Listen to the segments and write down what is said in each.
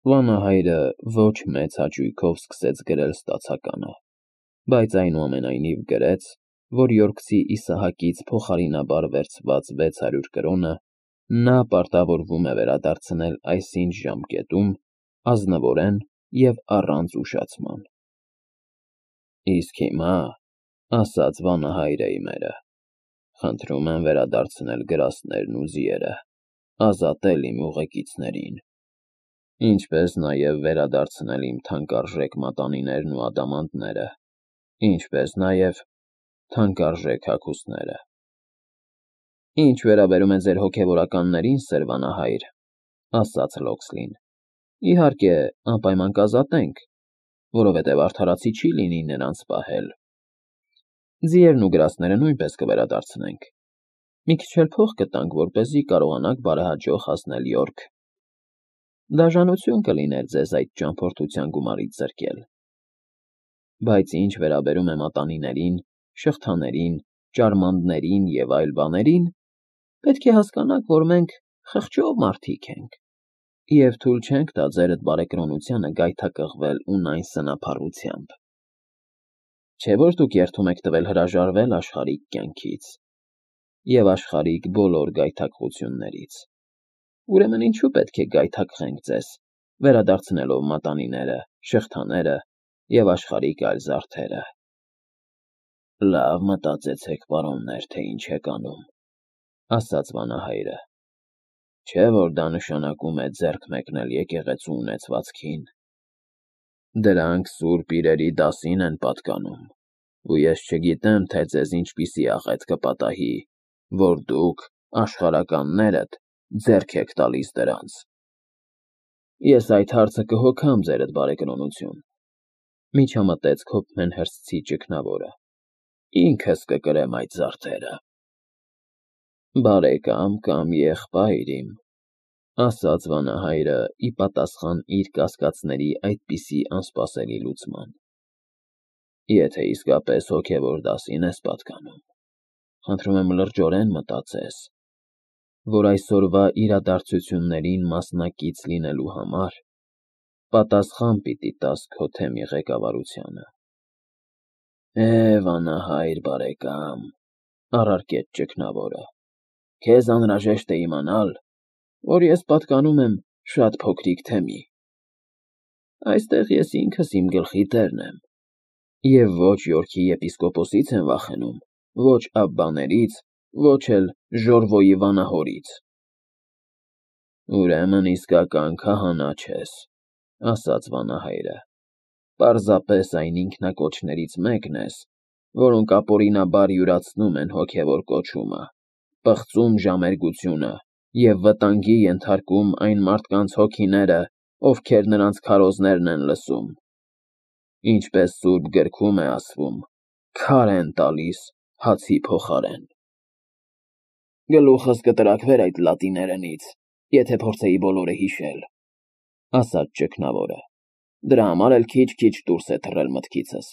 Վանահայրը ոչ մեծ հաճույքով սկսեց գրել ստացականը, բայց այնուամենայնիվ գրեց, որ Յորքցի Իսահակից փոխարինաբար վերցված 600 կրոնը նա պարտավորվում է վերադարձնել այսինչ ժամկետում, ազնվորեն և առանց ուշացման։ Իսկ հիմա, ասաց վանահայրը իմերը, խնդրում եմ վերադարձնել գրաստներն ու ձիերը, ազատել իմ ուղեկիցներին, ինչպես նաև վերադարձնել իմ թանկարժեք մատանիներն ու ադամանդները, ինչպես նաև թանկարժեք հագուստները։ Ինչ վերաբերում է ձեր հոգևորականներին, սեր վանահայր, ասաց Լոքսլին, իհարկե, անպայման կազատենք, որովհետև արդարացի չի լինի նրանց պահել։ Ձիերն ու գրաստները նույնպես կվերադարձնենք։ Մի քիչ էլ փող կտանք, որպեսզի կարողանաք բարեհաջող հասնել Յորք։ Դաժանություն կլիներ ձեզ այդ ճամփորդության գումարից զրկել։ Բայց ինչ վերաբերում է մատանիներին, շղթաներին, ճարմանդներին և այլ բաներին, պետք է հասկանաք, որ մենք խղճով մարդիկ ենք, և թույլ չենք տա ձերդ բարեկրոնությանը գայթակղվել ունայն սնափառությամբ։ Չէ՞ որ դուք երդում եք տվել հրաժարվել աշխարհիկ կյանքից և աշխարհիկ բոլոր գայթակղություններից։ Ուրեմն ինչու պետք է գայթակղենք ձեզ, վերադարձնելով մատանիները, շղթաները և աշխարհիկ այլ զարդերը։ Լավ մտածեցեք, պարոններ, թե ինչ եք անում, ասաց վանահայրը։ Չէ՞ որ դա նշանակում է ձեռք մեկնել եկեղեցու ունեցվածքին։ Դրանք սուրբ իրերի դասին են պատկանում, ու ես չգիտեմ, թե ձեզ ինչպիսի աղետ կպատահի, որ դուք, աշխարհականներդ, ձեռք եք տալիս դրանց։ Ես այդ հարցը կհոգամ, ձերդ բարեկրոնություն, միջամտեց Քոփմեն Հըրսթի ճգնավորը, ինքս կկրեմ այդ զարդերը։ Բարեկամ կամ եղբայր իմ, ասաց վանահայրը ի պատասխան իր կասկածների այդպիսի անսպասելի լուծման, եթե իսկապես հոգևոր դասին ես պատկանում, խնդրում եմ լրջորեն մտածես, որ այսօրվա իրադարձություններին մասնակից լինելու համար պատասխան պիտի տաս քո թեմի ղեկավարությանը։ Վանահայր բարեկամ, առարկեց ճգնավորը, քեզ անհրաժեշտ է իմանալ, որ ես պատկանում եմ շատ փոքրիկ թեմի։ Այստեղ ես ինքս իմ գլխի տերն եմ, և ոչ Յորքի եպիսկոպոսից եմ վախենում, ոչ աբբաներից, ոչ էլ Ժորվոյի վանահորից։ Ուրեմն իսկական քահանա չես, ասաց վանահայրը, պարզապես այն ինքնակոչներից մեկն ես, որոնք ապօրինաբար յուրացնում են հոգևոր կոչումը, պղծում ժամերգությունը և վտանգի ենթարկում այն մարդկանց հոգիները, ովքեր նրանց քարոզներն են լսում, ինչպես սուրբ գրքում է ասվում, քար են տալիս հացի փոխարեն։ Գլուխս կտրաքվեր այդ լատիներենից, եթե փորձեի բոլորը հիշել, ասաց ճգնավորը, դրա համար էլ քիչ-քիչ դուրս է թռել մտքիցս։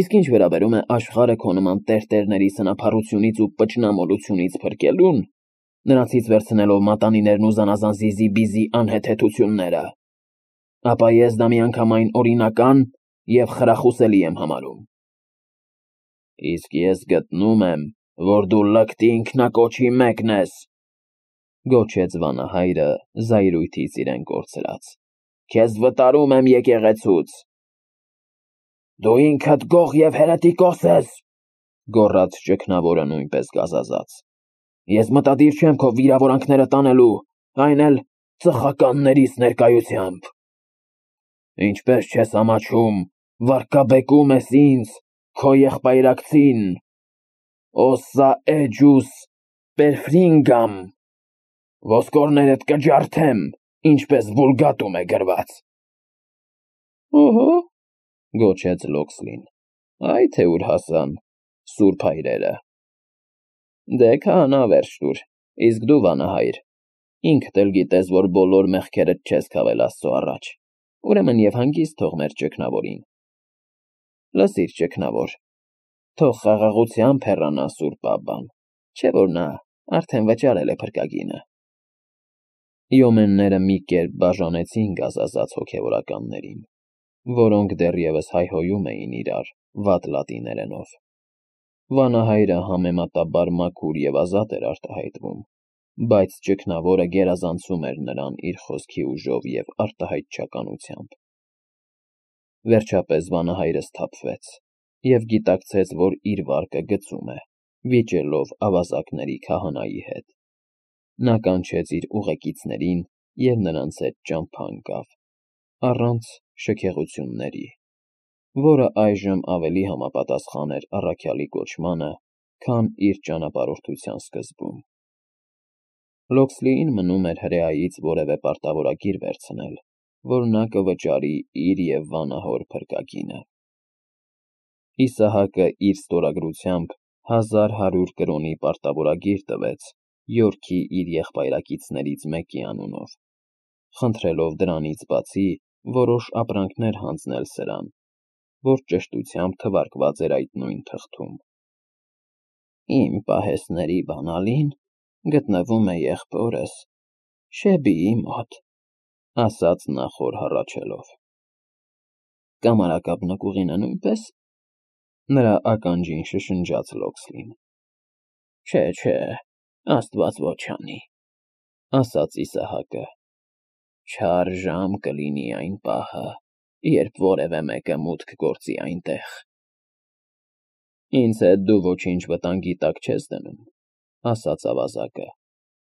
Իսկ ինչ վերաբերում է աշխարհը քո նման տերտերների սնափառությունից ու պճնամոլությունից փրկելուն, նրանցից վերցնելով մատանիներն ու զանազան զիզի-բիզի անհեթեթությունները, ապա ես դա միանգամայն օրինական և խրախուսելի եմ համարում։ Իսկ ես գտնում եմ, որ դու լկտի ինքնակոչի մեկն ես, գոչեց վանահայրը զայրույթից իրեն կորցրած, քեզ վտարում եմ եկեղեցուց։ Դու ինքդ գող և հերետիկոս ես, գոռաց ճգնավորը նույնպես գազազած։ Ես մտադիր չեմ քո վիրավորանքները տանելու, այն էլ ծխականներիս ներկայությամբ։ Ինչպես չես ամաչում, վարկաբեկում ես ինձ, քո եղբայրակցին, օսա էջուս պերֆրինգամ, ոսկորներդ կջարդեմ, ինչպես Վուլգատում է գրված։ Օհո, գոչեց Լոքսլին, այ թե ուր հասան սուրբ հայրերը։ Դե քահանա վերջ տուր, իսկ դու վանահայր, ինքդ էլ գիտես, որ բոլոր մեղքերդ չես քավել Աստծո առաջ, ուրեմն և հանգիստ թող մեր ճգնավորին։ Լսիր, ճգնավոր, թող խաղաղությամբ հեռանա սուրբ Աբբան, չէ որ նա արդեն վճարել է փրկագինը։ Յոմենները մի կերպ բաժանեցին գազազած հոգևորականներին, որոնք դեռևս հայհոյում էին իրար վատ լատիներենով։ Վանահայրը համեմատաբար մաքուր և ազատ էր արտահայտվում, բայց ճգնավորը գերազանցում էր նրան իր խոսքի ուժով և արտահայտչականությամբ։ Վերջապես վանահայրը սթափվեց և գիտակցեց, որ իր վարկը գծում է, վիճելով ավազակների քահանայի հետ։ Նա կանչեց իր ուղեկիցներին և նրանց հետ ճամփա ընկավ, առանց շքեղությունների, որը այժմ ավելի համապատասխան էր առաքյալի կոչմանը, քան իր ճանապարհորդության սկզբում։ Լոքսլիին մնում էր հրեայից որևէ պարտավորագիր վերցնել, որ նա կվճարի իր և վանահոր փրկագինը։ Իսահակը իր ստորագրությամբ 1100 կրոնի պարտավորագիր տվեց Յորքի իր եղբայրակիցներից մեկի անունով, խնդրելով դրանից բացի որոշ ապրանքներ հանձնել սրան, որ ճշտությամբ թվարկված էր այդ նույն թղթում։ «Իմ պահեստների բանալին գտնվում է եղբորս Շեբիի մոտ», ասաց նա խոր հառաչելով։ «Կամարակապ նկուղինը նույնպե՞ս»։ Նրա ականջին շշնջաց Լոքսլին։ Չէ, աստված ոչ անի, ասաց Իսահակը։ Չար ժամ կլինի այն պահը, երբ որևէ մեկը մուտք գործի այնտեղ։ Ինձ հետ դու ոչինչ վտանգի տակ չես դնում, ասաց ավազակը,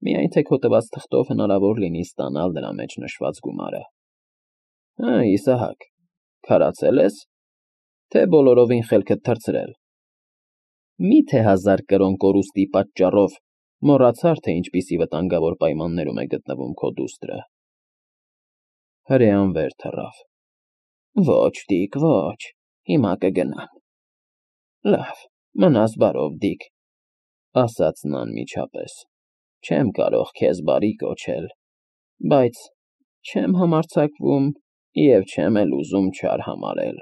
միայն թե քո տված թղթով հնարավոր լինի ստանալ դրա մեջ նշված գումարը։ Հը, Իսահակ, քարացե՞լ ես, թե բոլորովին խելքդ թռցրել։ Մի՞թե 1000 կրոն կորուստի պատճառով մոռացար, թե ինչպիսի վտանգավոր պայմաններում է գտնվում քո դուստրը։ Հրեան վեր թռավ։ Ոչ, Դիկ, ոչ, հիմա կգնամ։ Լավ, մնաս բարով, Դիկ, ասաց նա անմիջապես։ Չեմ կարող քեզ բարի կոչել, բայց չեմ համարձակվում և չեմ էլ ուզում չար համարել։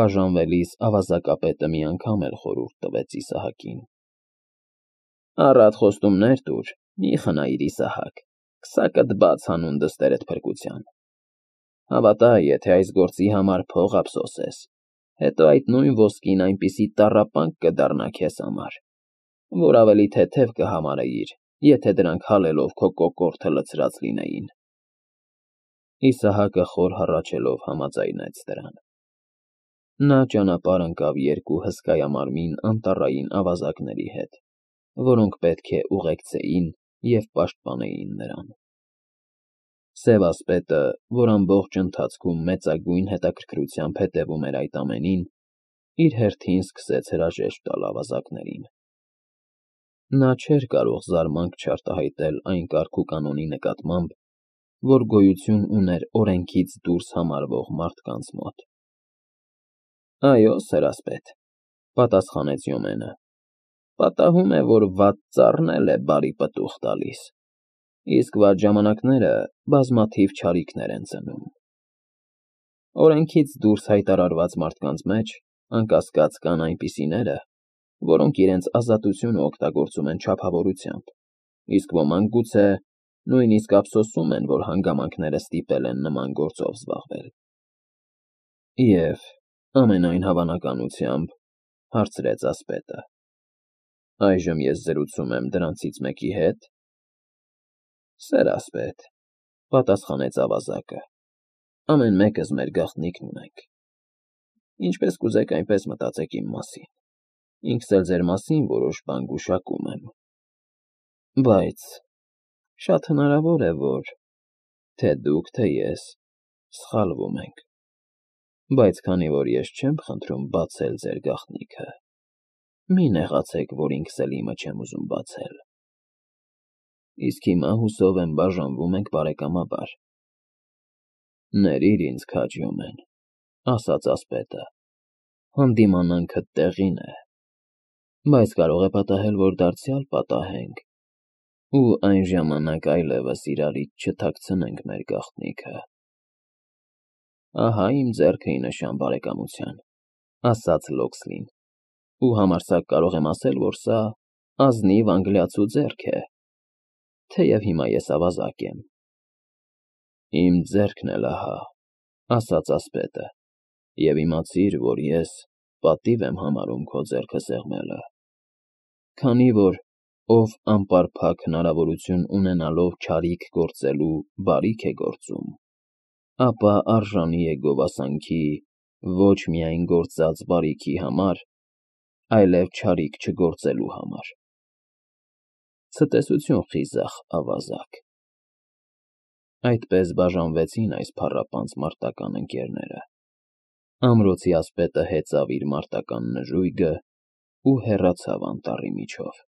Բաժանվելիս ավազակապետը մի անգամ էլ խորհուրդ տվեց Իսահակին. Առատ խոստումներ տուր, մի խնայիր Իսահակ, քսակդ բաց հանուն դստերդ փրկության։ Հավատա, եթե այս գործի համար փող ափսոսես, հետո այդ նույն ոսկին այնպիսի տառապանք կդառնա քեզ համար, որ ավելի թեթև կհամարեիր, եթե դրանք հալելով քո կոկորդը լցրած լինեին։ Իսահակը խոր հառաչելով համաձայնեց դրան։ Նա ճանապարհ ընկավ երկու հսկայամարմին անտառային ավազակների հետ, որոնք պետք է ուղեկցեին և պաշտպանեին նրան։ Սև ասպետը, որ ամբողջ ընթացքում մեծագույն հետաքրքրությամբ հետևում էր այդ ամենին, իր հերթին սկսեց հրաժեշտ տալ ավազակներին։ Նա չէր կարող զարմանք չարտահայտել այն կարգուկանոնի նկատմամբ, որ գոյություն ուներ օրենքից դուրս համարվող մարդկանց մոտ։ Այո, սերասպետ, պատասխանեց Յոմենը, պատահում է, որ վատ ծառն էլ է բարի պտուղ տալիս, իսկ վատ ժամանակները բազմաթիվ չարիքներ են ծնում։ Օրենքից դուրս հայտարարված մարդկանց մեջ, անկասկած, կան այնպիսիները, որոնք իրենց ազատությունը օգտագործում են չափավորությամբ, իսկ ոմանք գուցե նույնիսկ ափսոսում են, որ հանգամանքները ստիպել են նման գործով զբաղվել։ Եվ ամենայն հավանականությամբ, հարցրեց ասպետը, այժմ ես զրուցում եմ դրանցից մեկի հետ։ Սերասպետ, պատասխանեց ավազակը, ամեն մեկս մեր գաղտնիքն ունենք։ Ինչպես կուզեք, այնպես մտածեք իմ մասին, ինքս էլ ձեր մասին որոշ բան գուշակում եմ։ Բայց շատ հնարավոր է, որ թե դուք, թե ես սխալվում ենք, բայց քանի որ ես չեմ խնդրում բացել ձեր գաղտնիքը, մի նեղացեք, որ ինքս էլ իմը չեմ ուզում բացել։ Իսկ հիմա հուսով եմ բաժանվում ենք բարեկամաբար։ Ներիր ինձ քաջ Յոմեն, ասաց ասպետը, հանդիմանանքդ տեղին է, բայց կարող է պատահել, որ դարձյալ պատահենք, ու այն ժամանակ այլևս իրարից չթաքցնենք մեր գաղտնիքը։ Ահա իմ ձեռքը ի նշան բարեկամության, ասաց Լոքսլին, ու համարձակ կարող եմ ասել, որ սա ազնիվ անգլիացու ձեռք է։ թեև հիմա ես ավազակ եմ։ Իմ ձեռքն էլ ահա, ասաց ասպետը, և իմացիր, որ ես պատիվ եմ համարում քո ձեռքը սեղմելը, քանի որ ով անպարփակ հնարավորություն ունենալով չարիք գործելու բարիք է գործում, ապա արժանի է գովասանքի ոչ միայն գործած բարիքի համար, այլև չարիք չգործելու համար։ Ցտեսություն, խիզախ ավազակ։ Այդպես բաժանվեցին այս փառապանծ մարտական ընկերները։ Ամրոցի ասպետը հեծավ իր մարտական նժույգն ու հեռացավ անտառի միջով։